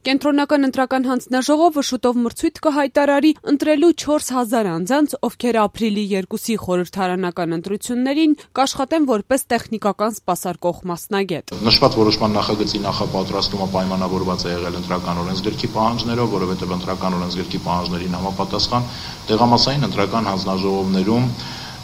Կենտրոնական ընտրական հանձնաժողովը շուտով մրցույթ կհայտարարի ընտրելու 4000 անձանց, ովքեր ապրիլի 2-ի խորհրդարանական ընտրություններին կաշխատեն որպես տեխնիկական սպասարկող մասնագետ։ Նշված որոշման նախագծի նախապատրաստումը պայմանավորված է եղել ընտրական օրենսգրքի պահանջներով, որովհետև ընտրական օրենսգրքի պահանջներին համապատասխան տեղամասային ընտրական հանձնաժողովներում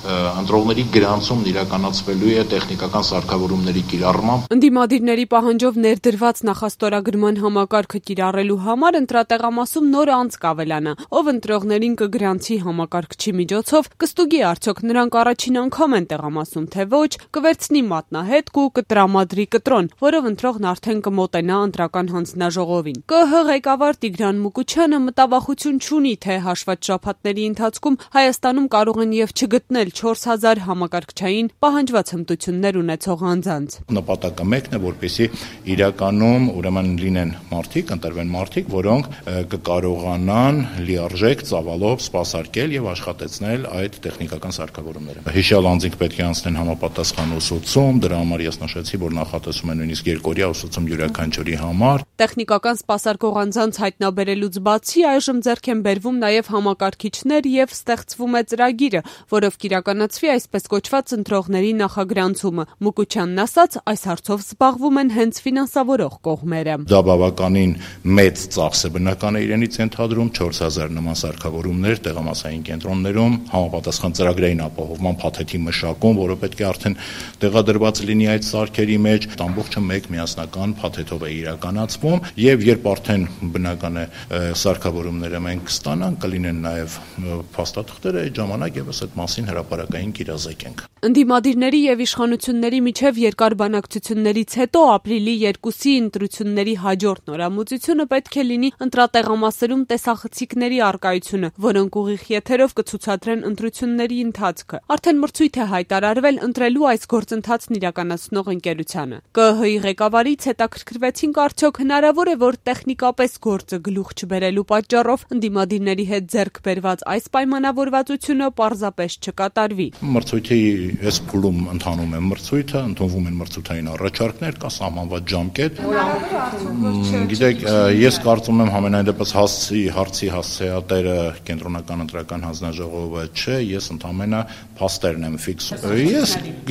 ընտրողների գրանցումն իրականացվելու է տեխնիկական սարքավորումների կիրառմամբ։ Ընդդիմադիրների պահանջով ներդրված նախաստորագրման համակարգը կիրառելու համար ընտրատեղամասում նոր անձ կավելանա, ով ընտրողներին կգրանցի համակարգչի միջոցով, կստուգի արդյոք նրանք առաջին անգամ են տեղամասում, թե ոչ, կվերցնի մատնահետք ու կտրամադրի կտրոն, որով ընտրողն արդեն կմոտենա ընտրական հանձնաժողովին։ ԿԸՀ ղեկավար Տիգրան Մուկուչյանը մտավախություն չունի, թե հաշված շաբաթների ընթացքում Հայաստանում կարող են եւ չգտնել 4000 համակարգչային պահանջված հմտություններ ունեցող անձանց։ Նպատակը մեկն է, որպեսզի իրականում ուրեմն լինեն մարդիկ, ընտրվեն մարդիկ, որոնք կկարողանան լիարժեք ծավալով սպասարկել եւ աշխատեցնել այդ տեխնիկական սարքավորումները։ Հիշյալ անձինք պետք է անցնեն համապատասխան ուսուցում, դրա համար ես նշեցի, որ նախատեսում են նույնիսկ 2-օրյա ուսուցում յուրաքանչյուրի համար։ Տեխնիկական սպասարկող անձանց հայտնաբերելուց բացի այժմ ձեռք են բերվում նաեւ համակարգիչներ եւ ստեղծվում է ծրագիրը, որով կիրականացվի այսպես կոչված ընտրողների նախագրանցումը։ Մուկուչյանն ասաց, այս հարցով զբաղվում են հենց ֆինանսավորող կողմերը։ Դա բավականին մեծ ծախս է բնական է իրենից ենթադրում 4000 նման սարքավորումներ տեղամասային կենտրոններում, համապատասխան ծրագրային ապահովման փաթեթի մշակում, որը պետք է արդեն տեղադրված լինի այդ սարքերի մեջ, ամբողջը մեկ միասնական փաթեթով է իրականացվում եւ երբ արդեն բնական է սարքավորումները մենք կստանանք, կլինեն նաեւ փաստաթղթերը, այդ ժամանակ եւս այդ մասին հրապարակային կիրազեկենք։ Ընդդիմադիրների եւ իշխանությունների միջև երկար բանակցություններից հետո ապրիլի 2-ի ընտրությունների հաջորդ նորամուծությունը պետք է լինի ընտրատեղամասերում տեսախցիկների առկայությունը, որոնք ուղիղ եթերով կցուցադրեն ընտրությունների ընթացքը։ Արդեն մրցույթ է հայտարարվել ընտրելու այս գործընթացն իրականացնող ընկերությանը։ ԿԸՀ-ի ղեկավարից հետաքրքրվեցինք արդյոք հնարավոր է, որ տեխնիկապես գործը գլուխ չբերելու պատճառով ընդդիմադիրների հետ ձեռք բերված այս պայմանավորվածությունը պարզապես չկատարվի։ Մրցույթի այս փուլում ընթանում է մրցույթը, ընդունվում են մրցութային առաջարկներ, կա սահմանված ժամկետ։ Գիտեք, ես կարծում եմ համենայն դեպս հարցի հասցեատերը կենտրոնական ընտրական հանձնաժողովը չէ, ես ընդամենը փաստերն եմ ֆիքսում։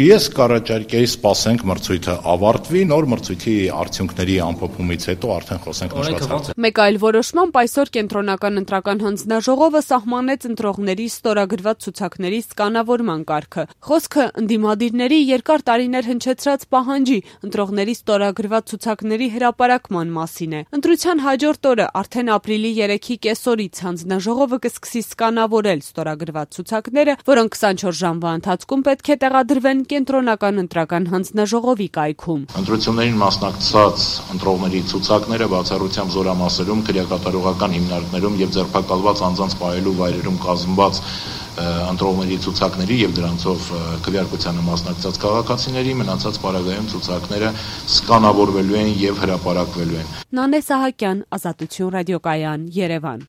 Ես կառաջարկեի սպասենք մրցույթը ավարտվի, նոր մրցույթի արդյունքների ամփոփումից հետո արդեն խոսենք նշված հարցը։ Մեկ այլ որոշմամբ այսօր կենտրոնական ընտրական հանձնաժողովը սահմանեց ընտրողների ստորագրված ցուցակների սկանավորման կարգը։ Խոսքը ընդդիմադիրների երկար տարիներ հնչեցրած պահանջի ընտրողների ստորագրված ցուցակների հրապարակման մասին է։ Ընտրության հաջորդ օրը արդեն ապրիլի 3-ի կեսօրից հանձնաժողովը կսկսի սկանավորել ստորագրված ցուցակները, որոնք 24 ժամվա ընթացքում պետք է տեղադրվեն կենտրոնական ընտրական հանձնաժողովի կայքում։ Ընտրություններին մասնակցած ընտրողների ցուցակները բացառությամբ զորամասերում, քրեակատարողական հիմնարկներում եւ ձերբակալված անձանց պահելու վայրերում կազմված ընտրողների ցուցակների եւ դրանցով քվեարկությանը մասնակցած քաղաքացիների մնացած պարագայում ցուցակները սկանավորվելու են եւ հրապարակվելու են։ Նանե Սահակյան, Ազատություն ռադիոկայան, Երևան։